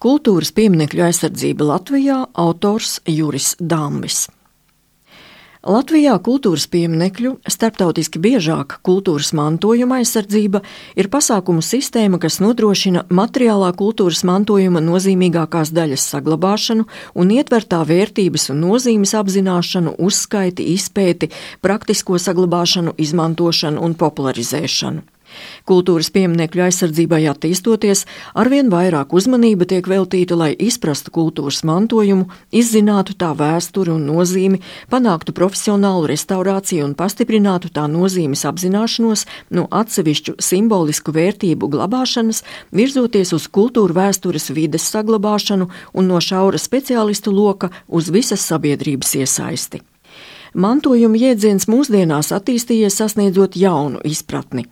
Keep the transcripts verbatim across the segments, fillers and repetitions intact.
Kultūras pieminekļu aizsardzība Latvijā, autors Juris Dambis. Latvijā kultūras pieminekļu, starptautiski biežāk kultūras mantojuma aizsardzība, ir pasākumu sistēma, kas nodrošina materiālā kultūras mantojuma nozīmīgākās daļas saglabāšanu un ietver tā vērtības un nozīmes apzināšanu, uzskaiti, izpēti, praktisko saglabāšanu, izmantošanu un popularizēšanu. Kultūras pieminekļu aizsardzībai attīstoties, arvien vairāk uzmanība tiek veltīta, lai izprastu kultūras mantojumu, izzinātu tā vēsturi un nozīmi, panāktu profesionālu restaurāciju un pastiprinātu tā nozīmes apzināšanos no atsevišķu simbolisku vērtību glabāšanas, virzoties uz kultūra vēstures vides saglabāšanu un no šaura speciālistu loka uz visas sabiedrības iesaisti. Mantojuma jēdziens mūsdienās attīstījies sasniedzot jaunu izpratni.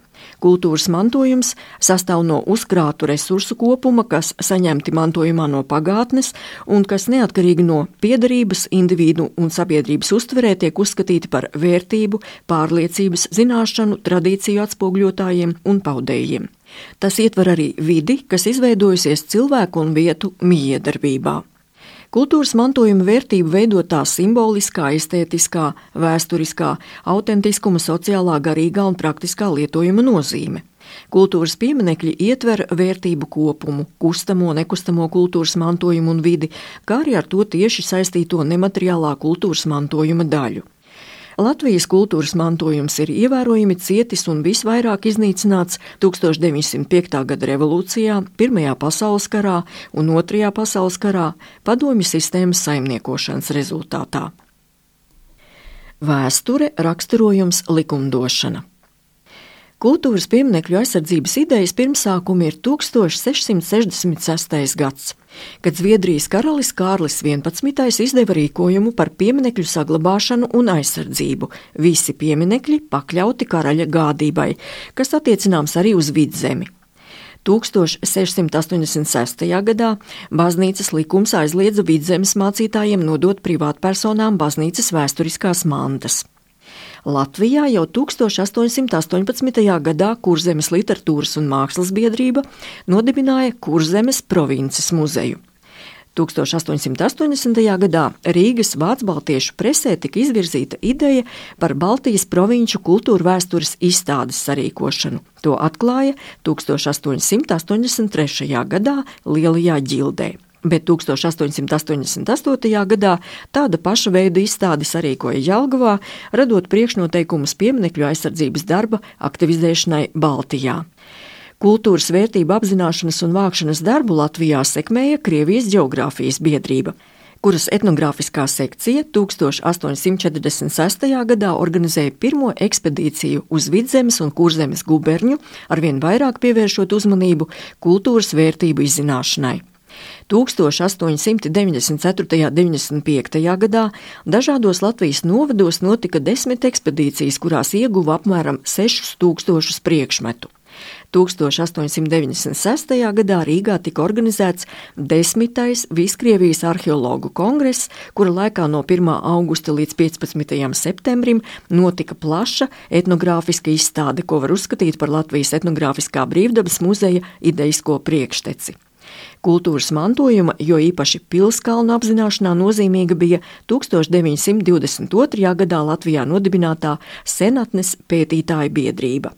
Kultūras mantojums sastāv no uzkrātu resursu kopuma, kas saņemti mantojumā no pagātnes un kas neatkarīgi no piederības, individu un sabiedrības uztverē tiek uzskatīti par vērtību, pārliecības, zināšanu, tradīciju atspoguļotājiem un paudējiem. Tas ietver arī vidi, kas izveidojusies cilvēku un vietu mijiedarbībā. Kultūras mantojuma vērtību veido tā simboliskā, estētiskā, vēsturiskā, autentiskuma, sociālā, garīgā un praktiskā lietojuma nozīme. Kultūras pieminekļi ietver vērtību kopumu, kustamo, nekustamo kultūras mantojumu un vidi, kā arī ar to tieši saistīto nemateriālā kultūras mantojuma daļu. Latvijas kultūras mantojums ir ievērojami cietis un visvairāk iznīcināts tūkstoš deviņsimt piekta gada revolūcijā, Pirmajā pasaules karā un Otrajā pasaules karā padomju sistēmas saimniekošanas rezultātā. Vēsture, raksturojums, likumdošana. Kultūras pieminekļu aizsardzības idejas pirmsākumi ir tūkstoš sešsimt sešdesmit sestais gads, kad Zviedrijas karalis Kārlis vienpadsmitais izdeva rīkojumu par pieminekļu saglabāšanu un aizsardzību, visi pieminekļi pakļauti karaļa gādībai, kas attiecināms arī uz Vidzemi. tūkstoš sešsimt astoņdesmit sestajā gadā baznīcas likums aizliedza Vidzemes mācītājiem nodot privātpersonām baznīcas vēsturiskās mantas. Latvijā jau tūkstoš astoņsimt astoņpadsmitajā gadā Kurzemes literatūras un mākslas biedrība nodibināja Kurzemes provinces muzeju. tūkstoš astoņsimt astoņdesmitajā gadā Rīgas vācbaltiešu presē tika izvirzīta ideja par Baltijas provinču kultūra vēstures izstādes sarīkošanu. To atklāja tūkstoš astoņsimt astoņdesmit trešajā gadā Lielajā ģildē. Bet tūkstoš astoņsimt astoņdesmit astotajā gadā tāda paša veida izstādi sarīkoja Jelgavā, radot priekšnoteikumus pieminekļu aizsardzības darba aktivizēšanai Baltijā. Kultūras vērtību apzināšanas un vākšanas darbu Latvijā sekmēja Krievijas ģeogrāfijas biedrība, kuras etnogrāfiskā sekcija tūkstoš astoņsimt četrdesmit sestajā gadā organizēja pirmo ekspedīciju uz Vidzemes un Kurzemes guberņu, arvien vairāk pievēršot uzmanību kultūras vērtību izzināšanai. tūkstoš astoņsimt deviņdesmit ceturtajā un deviņdesmit piektajā gadā dažādos Latvijas novados notika desmit ekspedīcijas, kurās ieguva apmēram sešus tūkstošus priekšmetu. tūkstoš astoņsimt deviņdesmit sestajā gadā Rīgā tika organizēts desmitais Viskrievijas arheologu kongress, kura laikā no pirmā augusta līdz piecpadsmitajam septembrim notika plaša etnogrāfiska izstāde, ko var uzskatīt par Latvijas etnogrāfiskā brīvdabas muzeja idejisko priekšteci. Kultūras mantojuma, jo īpaši pilskalnu apzināšanā nozīmīga bija tūkstoš deviņsimt divdesmit otrajā gadā Latvijā nodibinātā Senatnes pētītāju biedrība.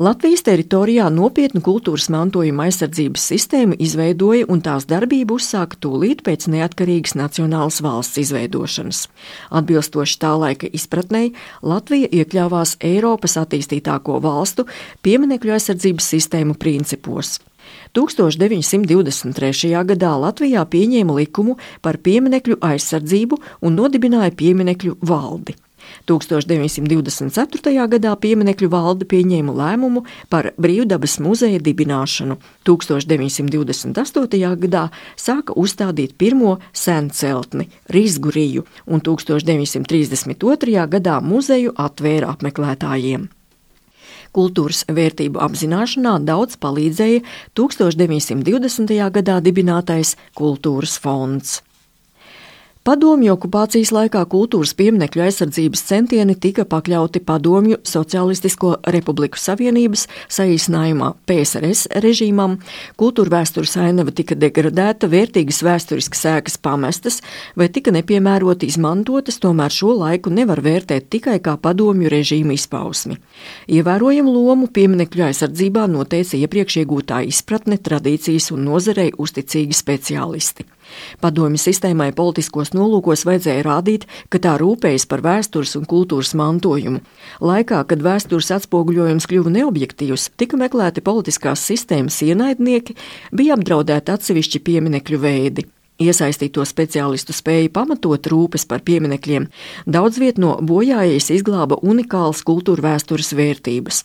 Latvijas teritorijā nopietnu kultūras mantojuma aizsardzības sistēmu izveidoja un tās darbību uzsāka tūlīt pēc neatkarīgas nacionālas valsts izveidošanas. Atbilstoši tā laika izpratnei, Latvija iekļāvās Eiropas attīstītāko valstu pieminekļu aizsardzības sistēmu principos. tūkstoš deviņsimt divdesmit trešajā gadā Latvijā pieņēma likumu par pieminekļu aizsardzību un nodibināja pieminekļu valdi. tūkstoš deviņsimt divdesmit ceturtajā gadā pieminekļu valde pieņēma lēmumu par brīvdabas muzeja dibināšanu. tūkstoš deviņsimt divdesmit astotajā gadā sāka uzstādīt pirmo senceltni, Rizgu riju, un tūkstoš deviņsimt trīsdesmit otrajā gadā muzeju atvēra apmeklētājiem. Kultūras vērtību apzināšanā daudz palīdzēja tūkstoš deviņsimt divdesmitajā gadā dibinātais Kultūras fonds. Padomju okupācijas laikā kultūras pieminekļu aizsardzības centieni tika pakļauti Padomju Socialistisko Republiku Savienības, saīsinājumā P S R S režīmam, kultūra vēstures ainava tika degradēta, vērtīgas vēsturiskas ēkas pamestas vai tika nepiemēroti izmantotas, tomēr šo laiku nevar vērtēt tikai kā padomju režīma izpausmi. Ievērojamu lomu pieminekļu aizsardzībā noteica iepriekš iegūtā izpratne, tradīcijas un nozarei uzticīgi speciālisti. Padomju sistēmai politiskos nolūkos vajadzēja rādīt, ka tā rūpējas par vēstures un kultūras mantojumu. Laikā, kad vēstures atspoguļojums kļuva neobjektīvs, tika meklēti politiskās sistēmas ienaidnieki, bija apdraudēti atsevišķi pieminekļu veidi. Iesaistīto speciālistu spēja pamatot rūpes par pieminekļiem, daudz viet no bojājējas izglāba unikālas kultūra vēstures vērtības.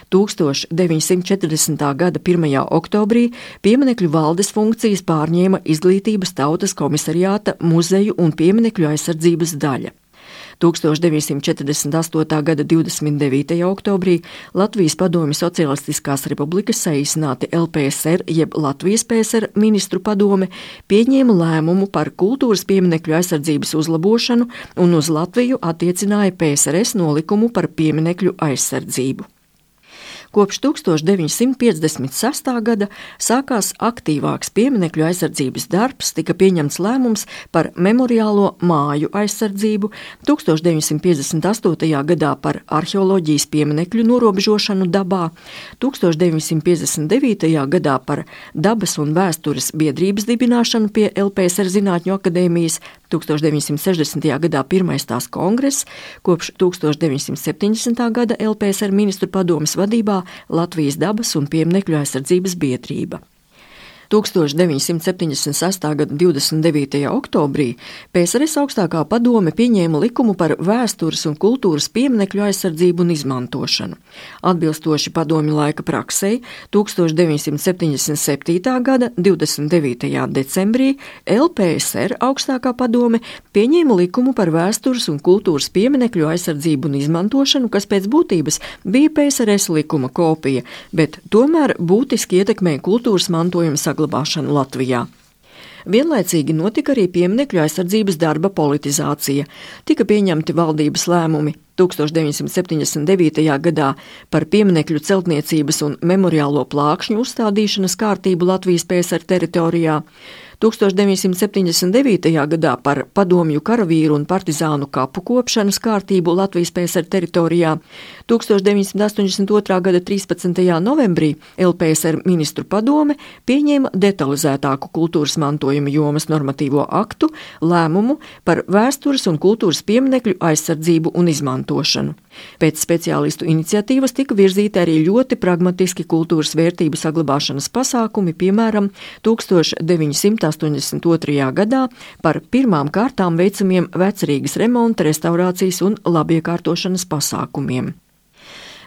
tūkstoš deviņsimt četrdesmitā gada pirmajā oktobrī pieminekļu valdes funkcijas pārņēma Izglītības tautas komisariāta muzeju un pieminekļu aizsardzības daļa. tūkstoš deviņsimt četrdesmit astotā gada divdesmit devītajā oktobrī Latvijas Padomju Socialistiskās Republikas, saīsināti L P S R jeb Latvijas P S R ministru padome, pieņēma lēmumu par kultūras pieminekļu aizsardzības uzlabošanu un uz Latviju attiecināja P S R S nolikumu par pieminekļu aizsardzību. Kopš tūkstoš deviņsimt piecdesmit sestā gada sākās aktīvāks pieminekļu aizsardzības darbs, tika pieņemts lēmums par memoriālo māju aizsardzību, tūkstoš deviņsimt piecdesmit astotajā gadā par arheoloģijas pieminekļu norobežošanu dabā, tūkstoš deviņsimt piecdesmit devītajā gadā par dabas un vēstures biedrības dibināšanu pie L P S R Zinātņu akadēmijas, tūkstoš deviņsimt sešdesmitajā gadā pirmais tās kongress, kopš tūkstoš deviņsimt septiņdesmitā gada L P S R ministru padomes vadībā Latvijas dabas un pieminekļu aizsardzības biedrība. tūkstoš deviņsimt septiņdesmit sestā gada divdesmit devītajā oktobrī P S R S augstākā padome pieņēma likumu par vēstures un kultūras pieminekļu aizsardzību un izmantošanu. Atbilstoši padomju laika praksei, tūkstoš deviņsimt septiņdesmit septītā gada divdesmit devītajā decembrī L P S R augstākā padome pieņēma likumu par vēstures un kultūras pieminekļu aizsardzību un izmantošanu, kas pēc būtības bija P S R S likuma kopija, bet tomēr būtiski ietekmēja kultūras mantojuma saglabāšanu Latvijā. Vienlaicīgi notika arī pieminekļu aizsardzības darba politizācija. Tika pieņemti valdības lēmumi tūkstoš deviņsimt septiņdesmit devītajā gadā par pieminekļu celtniecības un memoriālo plākšņu uzstādīšanas kārtību Latvijas P S R teritorijā, tūkstoš deviņsimt septiņdesmit devītajā gadā par padomju karavīru un partizānu kapu kopšanas kārtību Latvijas P S R teritorijā, tūkstoš deviņsimt astoņdesmit otrā gada trīspadsmitajā novembrī L P S R ministru padome pieņēma detalizētāku kultūras mantojuma jomas normatīvo aktu lēmumu par vēstures un kultūras pieminekļu aizsardzību un izmantošanu. Pēc speciālistu iniciatīvas tika virzīti arī ļoti pragmatiski kultūras vērtību saglabāšanas pasākumi, piemēram, tūkstoš deviņsimt astoņdesmit otrajā gadā par pirmām kārtām veicamiem vecrīgas remonta, restaurācijas un labiekārtošanas pasākumiem.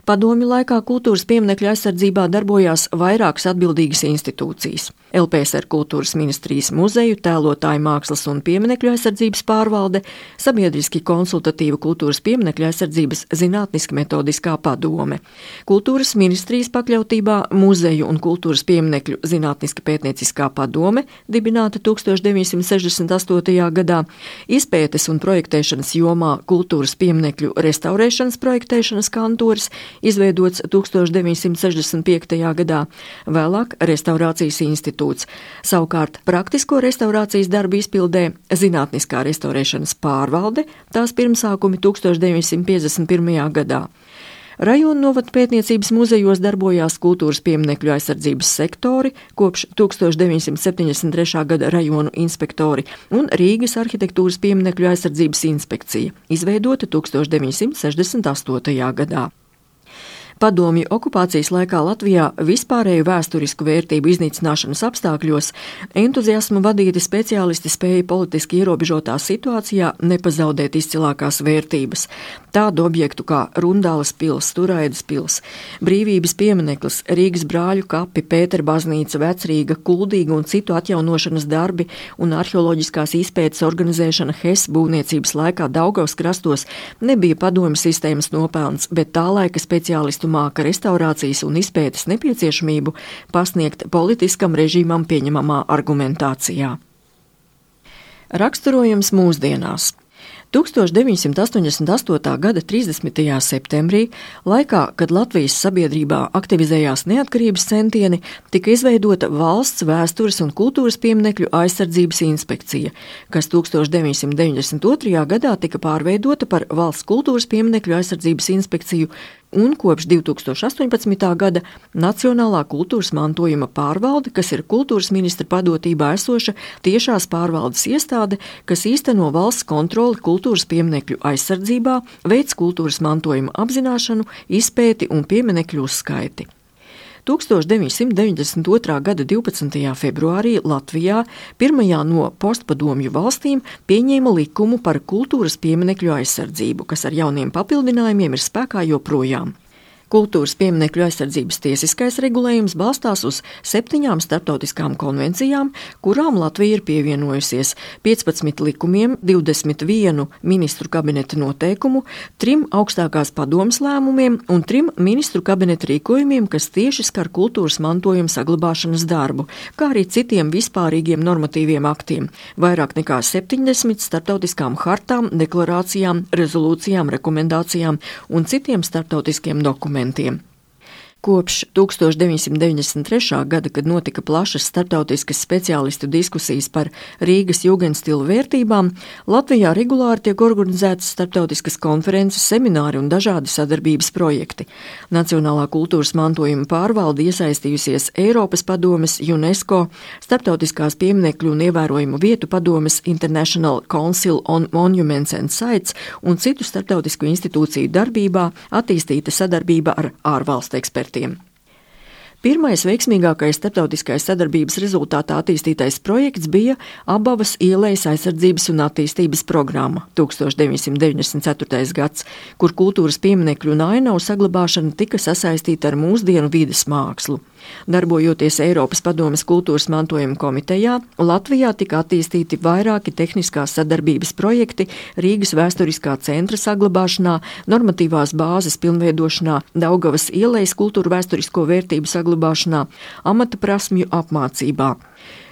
Padomju laikā kultūras pieminekļu aizsardzībā darbojās vairākas atbildīgas institūcijas. L P S R kultūras ministrijas muzeju, tēlotāju mākslas un pieminekļu aizsardzības pārvalde, sabiedriski konsultatīva kultūras pieminekļu aizsardzības zinātniski metodiskā padome. Kultūras ministrijas pakļautībā muzeju un kultūras pieminekļu zinātniski pētnieciskā padome, dibināta tūkstoš deviņsimt sešdesmit astotajā gadā, izpētes un projektēšanas jomā kultūras pieminekļu restaurēšanas projektēšanas kantors, izveidots tūkstoš deviņsimt sešdesmit piektajā gadā, vēlāk Restaurācijas institūts. Savukārt praktisko restaurācijas darbu izpildē Zinātniskā restaurēšanas pārvalde, tās pirmsākumi tūkstoš deviņsimt piecdesmit pirmajā gadā. Rajonu novadu pētniecības muzejos darbojās kultūras pieminekļu aizsardzības sektori, kopš tūkstoš deviņsimt septiņdesmit trešā gada rajonu inspektori un Rīgas arhitektūras pieminekļu aizsardzības inspekcija, izveidota tūkstoš deviņsimt sešdesmit astotajā gadā. Padomju okupācijas laikā Latvijā vispārēju vēsturisku vērtību iznīcināšanas apstākļos entuziasmu vadīti speciālisti spēja politiski ierobežotā situācijā nepazaudēt izcilākās vērtības. Tādu objektu kā Rundāles pils, Turaidas pils, Brīvības piemineklis, Rīgas brāļu kapi, Pētera baznīca, Vecrīga, Kuldīga un citu atjaunošanas darbi un arheoloģiskās izpētes organizēšana Hes būvniecības laikā Daugavas krastos nebija padomju sistēmas nopelns, bet tā laika speciālistu māka restaurācijas un izpētes nepieciešamību pasniegt politiskam režīmam pieņemamā argumentācijā. Raksturojums mūsdienās. tūkstoš deviņsimt astoņdesmit astotā gada trīsdesmitajā septembrī, laikā, kad Latvijas sabiedrībā aktivizējās neatkarības centieni, tika izveidota Valsts vēstures un kultūras pieminekļu aizsardzības inspekcija, kas tūkstoš deviņsimt deviņdesmit otrajā gadā tika pārveidota par Valsts kultūras pieminekļu aizsardzības inspekciju un kopš divi tūkstoši astoņpadsmitā gada Nacionālā kultūras mantojuma pārvalde, kas ir kultūras ministra padotībā esoša tiešās pārvaldes iestāde, kas īsteno valsts kontroli kultūras pieminekļu aizsardzībā, veic kultūras mantojuma apzināšanu, izpēti un pieminekļu uzskaiti. tūkstoš deviņsimt deviņdesmit otrā gada divpadsmitajā februārī Latvijā, pirmajā no postpadomju valstīm, pieņēma likumu par kultūras pieminekļu aizsardzību, kas ar jauniem papildinājumiem ir spēkā joprojām. Kultūras pieminekļu aizsardzības tiesiskais regulējums balstās uz septiņām starptautiskām konvencijām, kurām Latvija ir pievienojusies, piecpadsmit likumiem, divdesmit vienu ministru kabineta noteikumu, trim augstākās padomes lēmumiem un trim ministru kabineta rīkojumiem, kas tieši skar kultūras mantojuma saglabāšanas darbu, kā arī citiem vispārīgiem normatīviem aktiem, vairāk nekā septiņdesmit starptautiskām hartām, deklarācijām, rezolūcijām, rekomendācijām un citiem starptautiskiem dokumentiem. Kopš tūkstoš deviņsimt deviņdesmit trešā gada, kad notika plašas starptautiskas speciālistu diskusijas par Rīgas jūgendstilu vērtībām, Latvijā regulāri tiek organizētas starptautiskas konferences, semināri un dažādi sadarbības projekti. Nacionālā kultūras mantojuma pārvalde iesaistījusies Eiropas padomes, UNESCO, Starptautiskās pieminekļu un ievērojumu vietu padomes International Council on Monuments and Sites un citu starptautisku institūciju darbībā, attīstīta sadarbība ar ārvalstu ekspertiem. Pirmais veiksmīgākais starptautiskais sadarbības rezultātā attīstītais projekts bija Abavas ielejas aizsardzības un attīstības programma tūkstoš deviņsimt deviņdesmit ceturtais gads, kur kultūras pieminekļu un ainavu saglabāšana tika sasaistīta ar mūsdienu vides mākslu. Darbojoties Eiropas padomes kultūras mantojuma komitejā, Latvijā tika attīstīti vairāki tehniskās sadarbības projekti Rīgas vēsturiskā centra saglabāšanā, normatīvās bāzes pilnveidošanā, Daugavas ielejas kultūra vēsturisko vērtību saglabāšanā, amata prasmju apmācībā.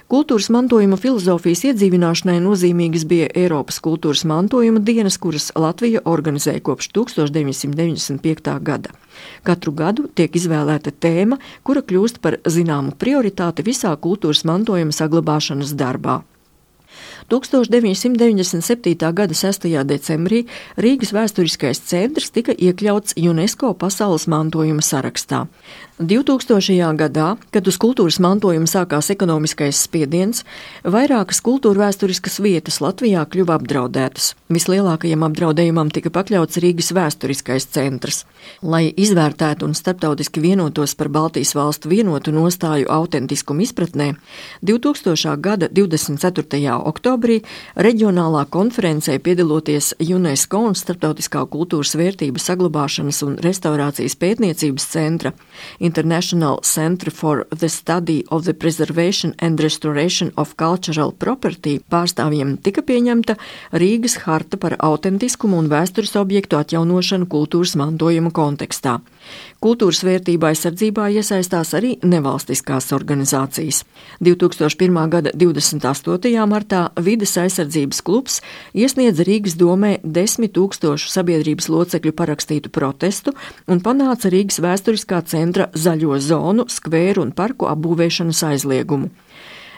Kultūras mantojuma filozofijas iedzīvināšanai nozīmīgas bija Eiropas kultūras mantojuma dienas, kuras Latvija organizēja kopš tūkstoš deviņsimt deviņdesmit piektā gada. Katru gadu tiek izvēlēta tēma, kura kļūst par zināmu prioritāti visā kultūras mantojuma saglabāšanas darbā. tūkstoš deviņsimt deviņdesmit septītā gada sestajā decembrī Rīgas vēsturiskais centrs tika iekļauts UNESCO pasaules mantojuma sarakstā. divtūkstošajā gadā, kad uz kultūras mantojumu sākās ekonomiskais spiediens, vairākas kultūra vēsturiskas vietas Latvijā kļuva apdraudētas. Vislielākajam apdraudējumam tika pakļauts Rīgas vēsturiskais centrs. Lai izvērtētu un starptautiski vienotos par Baltijas valstu vienotu nostāju autentiskumu izpratnē, divtūkstošā gada divdesmit ceturtajā oktobrī reģionālā konferencē piedaloties UNESCO un Starptautiskā kultūras vērtību saglabāšanas un restaurācijas pētniecības centra International Center for the Study of the Preservation and Restoration of Cultural Property pārstāvjiem tika pieņemta Rīgas harta par autentiskumu un vēstures objektu atjaunošanu kultūras mantojuma kontekstā. Kultūras vērtība aizsardzībā iesaistās arī nevalstiskās organizācijas. divtūkstoš pirmā gada divdesmit astotajā martā Vides aizsardzības klubs iesniedza Rīgas domē desmit tūkstošu sabiedrības locekļu parakstītu protestu un panāca Rīgas vēsturiskā centra zaļo zonu, skvēru un parku apbūvēšanas aizliegumu.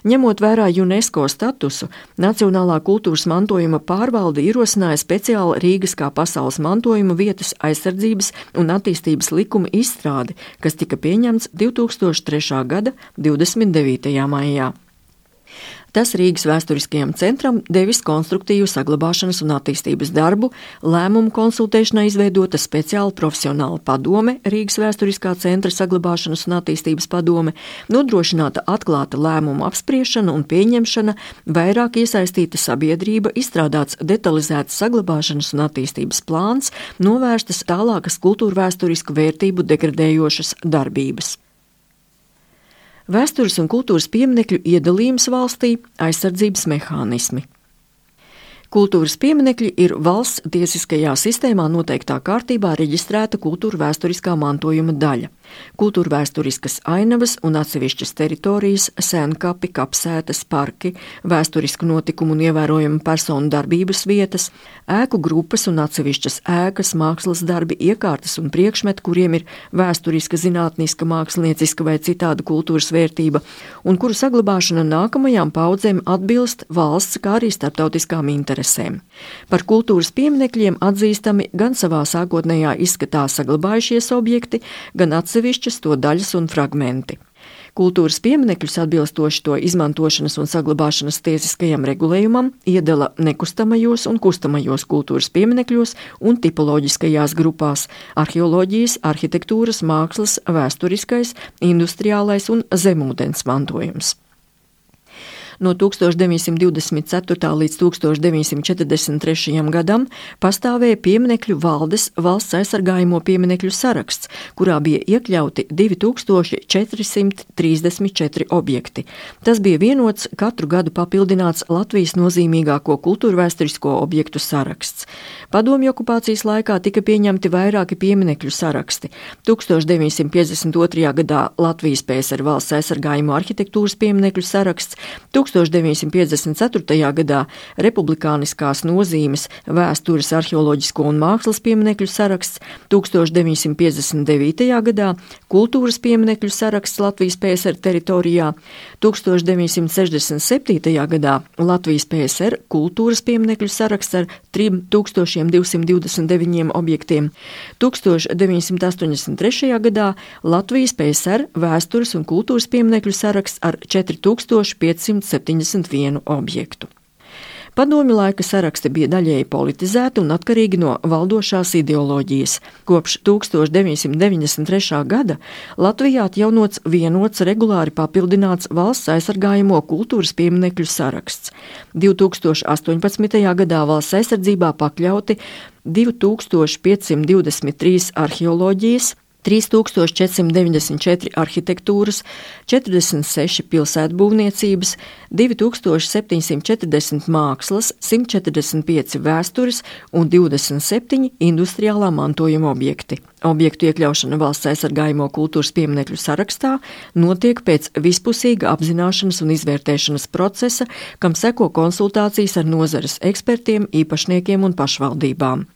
Ņemot vērā UNESCO statusu, Nacionālā kultūras mantojuma pārvalde ierosināja speciāli Rīgas kā pasaules mantojuma vietas aizsardzības un attīstības likuma izstrādi, kas tika pieņemts divtūkstoš trešā gada divdesmit devītajā maijā. Tas Rīgas vēsturiskajam centram devis konstruktīvu saglabāšanas un attīstības darbu, lēmumu konsultēšanai izveidota speciāla profesionāla padome, Rīgas vēsturiskā centra saglabāšanas un attīstības padome, nodrošināta atklāta lēmumu apspriešana un pieņemšana, vairāk iesaistīta sabiedrība, izstrādāts detalizēts saglabāšanas un attīstības plāns, novērstas tālākas kultūrvēsturisku vērtību degradējošas darbības. Vēstures un kultūras pieminekļu iedalījums valstī, aizsardzības mehānismi. Kultūras pieminekļi ir valsts tiesiskajā sistēmā noteiktā kārtībā reģistrēta kultūra vēsturiskā mantojuma daļa. kultūrvēsturiskas ainavas un atsevišķas teritorijas, sēnkapi, kapsētas, parki, vēsturisku notikumu un ievērojumu personu darbības vietas, ēku grupas un atsevišķas ēkas, mākslas darbi, iekārtas un priekšmeti, kuriem ir vēsturiska, zinātniska, mākslinieciska vai citāda kultūras vērtība, un kuru saglabāšana nākamajām paudzēm atbilst valsts, kā arī starptautiskām interesēm. Par kultūras pieminekļiem atzīstami gan savā sākotnējā izskatā saglabājušies objekti, gan atsevišķas to daļas un fragmenti. Kultūras pieminekļus atbilstoši to izmantošanas un saglabāšanas tiesiskajam regulējumam iedala nekustamajos un kustamajos kultūras pieminekļos un tipoloģiskajās grupās – arheoloģijas, arhitektūras, mākslas, vēsturiskais, industriālais un zemūdens mantojums. No tūkstoš deviņsimt divdesmit ceturtā līdz tūkstoš deviņsimt četrdesmit trešajam gadam pastāvēja pieminekļu valdes valsts aizsargājamo pieminekļu saraksts, kurā bija iekļauti divi tūkstoši četri simti trīsdesmit četri objekti. Tas bija vienots katru gadu papildināts Latvijas nozīmīgāko kultūrvēsturisko objektu saraksts. Padomju okupācijas laikā tika pieņemti vairāki pieminekļu saraksti. tūkstoš deviņsimt piecdesmit otrajā gadā Latvijas P S R valsts aizsargājamo arhitektūras pieminekļu saraksts, tūkstoš deviņsimt piecdesmit ceturtajā gadā republikāniskās nozīmes vēstures, arheoloģisko un mākslas pieminekļu saraksts, tūkstoš deviņsimt piecdesmit devītajā gadā kultūras pieminekļu saraksts Latvijas P S R teritorijā, tūkstoš deviņsimt sešdesmit septītajā gadā Latvijas P S R kultūras pieminekļu saraksts ar trim tūkstošiem divsimt divdesmit deviņiem objektiem, tūkstoš deviņsimt astoņdesmit trešajā gadā Latvijas P S R vēstures un kultūras pieminekļu saraksts ar četri tūkstoši piecsimt septiņdesmit vienu objektu. Padomju laika saraksti bija daļēji politizēti un atkarīgi no valdošās ideoloģijas. Kopš tūkstoš deviņsimt deviņdesmit trešā gada Latvijā atjaunots vienots regulāri papildināts valsts aizsargājamo kultūras pieminekļu saraksts. divi tūkstoši astoņpadsmitajā gadā valsts aizsardzībā pakļauti divi tūkstoši piecsimt divdesmit trīs arheoloģijas, trīs tūkstoši četri simti deviņdesmit četri arhitektūras, četrdesmit seši pilsētbūvniecības, divi tūkstoši septiņi simti četrdesmit mākslas, simt četrdesmit pieci vēstures un divdesmit septiņi industriālā mantojuma objekti. Objektu iekļaušana valsts aizsargājamo kultūras pieminekļu sarakstā notiek pēc vispusīga apzināšanas un izvērtēšanas procesa, kam seko konsultācijas ar nozares ekspertiem, īpašniekiem un pašvaldībām.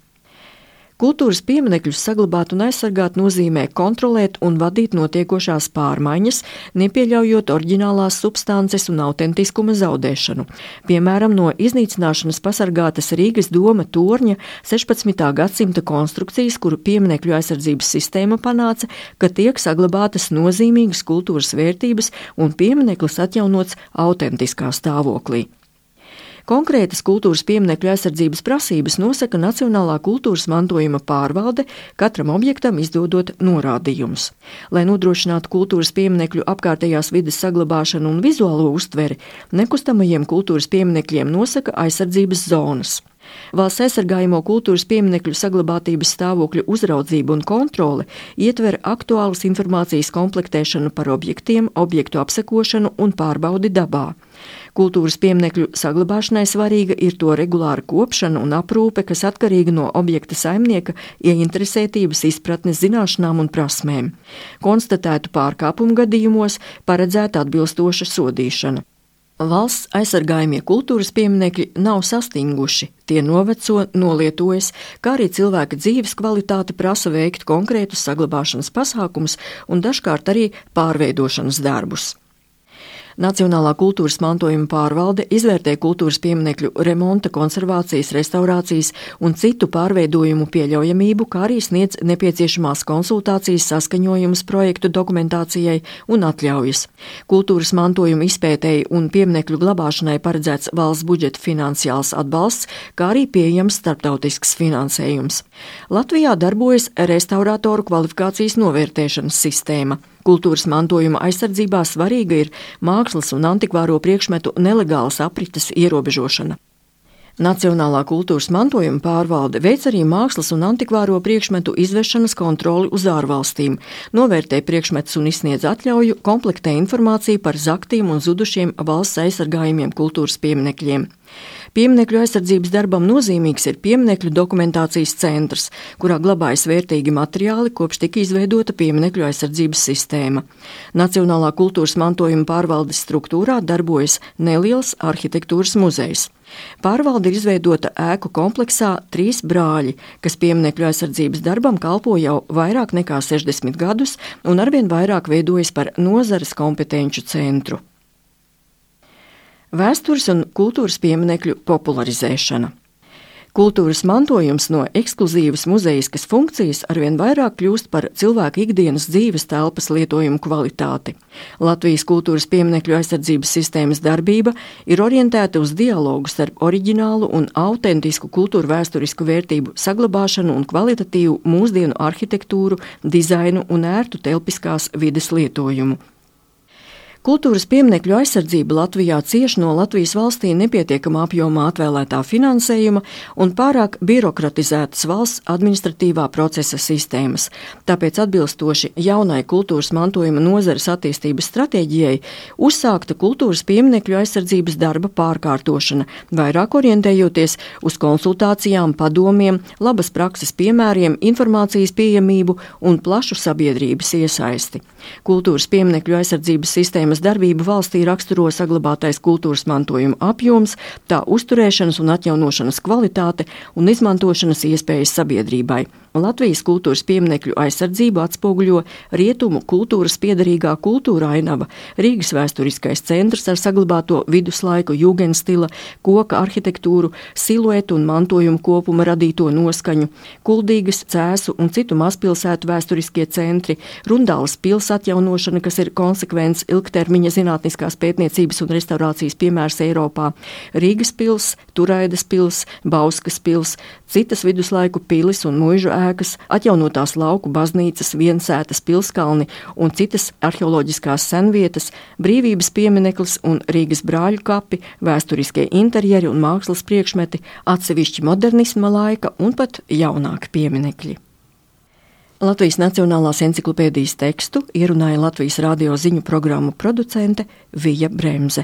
Kultūras pieminekļus saglabāt un aizsargāt nozīmē kontrolēt un vadīt notiekošās pārmaiņas, nepieļaujot oriģinālās substances un autentiskuma zaudēšanu. Piemēram, no iznīcināšanas pasargātas Rīgas doma torņa sešpadsmitā gadsimta konstrukcijas, kuru pieminekļu aizsardzības sistēma panāca, ka tiek saglabātas nozīmīgas kultūras vērtības un piemineklis atjaunots autentiskā stāvoklī. Konkrētas kultūras pieminekļu aizsardzības prasības nosaka Nacionālā kultūras mantojuma pārvalde, katram objektam izdodot norādījumus. Lai nodrošinātu kultūras pieminekļu apkārtējās vides saglabāšanu un vizuālo uztveri, nekustamajiem kultūras pieminekļiem nosaka aizsardzības zonas. Valsts aizsargājamo kultūras pieminekļu saglabātības stāvokļu uzraudzība un kontrole ietver aktuālas informācijas komplektēšanu par objektiem, objektu apsekošanu un pārbaudi dabā. Kultūras pieminekļu saglabāšanai svarīga ir to regulāra kopšana un aprūpe, kas atkarīga no objekta saimnieka ieinteresētības, izpratnes, zināšanām un prasmēm. Konstatētu pārkāpumu gadījumos paredzēta atbilstoša sodīšana. Valsts aizsargājamie kultūras pieminekļi nav sastinguši, tie noveco, nolietojas, kā arī cilvēka dzīves kvalitāte prasa veikt konkrētus saglabāšanas pasākumus un dažkārt arī pārveidošanas darbus. Nacionālā kultūras mantojuma pārvalde izvērtē kultūras pieminekļu remonta, konservācijas, restaurācijas un citu pārveidojumu pieļaujamību, kā arī sniedz nepieciešamās konsultācijas, saskaņojumus projektu dokumentācijai un atļaujas. Kultūras mantojuma izpētēji un pieminekļu glabāšanai paredzēts valsts budžeta finansiāls atbalsts, kā arī pieejams starptautisks finansējums. Latvijā darbojas restaurātoru kvalifikācijas novērtēšanas sistēma. Kultūras mantojuma aizsardzībā svarīga ir mākslas un antikvāro priekšmetu nelegālas aprites ierobežošana. Nacionālā kultūras mantojuma pārvalde veic arī mākslas un antikvāro priekšmetu izvešanas kontroli uz ārvalstīm, novērtē priekšmetus un izsniedz atļauju, komplektē informāciju par zaktiem un zudušiem valsts aizsargājumiem kultūras pieminekļiem. Pieminekļu aizsardzības darbam nozīmīgs ir pieminekļu dokumentācijas centrs, kurā glabājas vērtīgi materiāli, kopš tika izveidota pieminekļu aizsardzības sistēma. Nacionālā kultūras mantojuma pārvaldes struktūrā darbojas neliels arhitektūras muzejs. Pārvalde ir izveidota ēku kompleksā Trīs brāļi, kas pieminekļu aizsardzības darbam kalpo jau vairāk nekā sešdesmit gadus un arvien vairāk veidojas par nozares kompetenču centru. Vēstures un kultūras pieminekļu popularizēšana. Kultūras mantojums no ekskluzīvas muzejiskas funkcijas arvien vairāk kļūst par cilvēku ikdienas dzīves telpas lietojumu kvalitāti. Latvijas kultūras pieminekļu aizsardzības sistēmas darbība ir orientēta uz dialogu starp oriģinālu un autentisku kultūru vēsturisku vērtību saglabāšanu un kvalitatīvu mūsdienu arhitektūru, dizainu un ērtu telpiskās vides lietojumu. Kultūras pieminekļu aizsardzība Latvijā cieš no Latvijas valstī nepietiekamā apjomā atvēlētā finansējuma un pārāk birokratizētas valsts administratīvā procesa sistēmas. Tāpēc atbilstoši jaunai kultūras mantojuma nozares attīstības stratēģijai uzsākta kultūras pieminekļu aizsardzības darba pārkārtošana, vairāk orientējoties uz konsultācijām, padomiem, labas prakses piemēriem, informācijas pieejamību un plašu sabiedrības iesaisti. Kultūras pieminekļu aizsardzības sistēmas darbību valstī raksturo saglabātais kultūras mantojuma apjoms, tā uzturēšanas un atjaunošanas kvalitāte un izmantošanas iespējas sabiedrībai. Latvijas kultūras pieminekļu aizsardzību atspoguļo rietumu kultūras piederīgā kultūra ainava, Rīgas vēsturiskais centrs ar saglabāto viduslaiku jūgenstila, koka arhitektūru, siluetu un mantojumu kopuma radīto noskaņu, Kuldīgas, Cēsu un citu mazpilsētu vēsturiskie centri, Rundāles pils atjaunošana, kas ir konsekvents ilgtermiņa zinātniskās pētniecības un restaurācijas piemērs Eiropā, Rīgas pils, Turaidas pils, Bauskas pils, citas viduslaiku pilis un muižu ēkas, atjaunotās lauku baznīcas, Viensētas pilskalni un citas arheoloģiskās senvietas, Brīvības piemineklis un Rīgas brāļu kapi, vēsturiskie interjeri un mākslas priekšmeti, atsevišķi modernisma laika un pat jaunāki pieminekļi. Latvijas Nacionālās enciklopēdijas tekstu ierunāja Latvijas radio ziņu programmu producente Vija Bremze.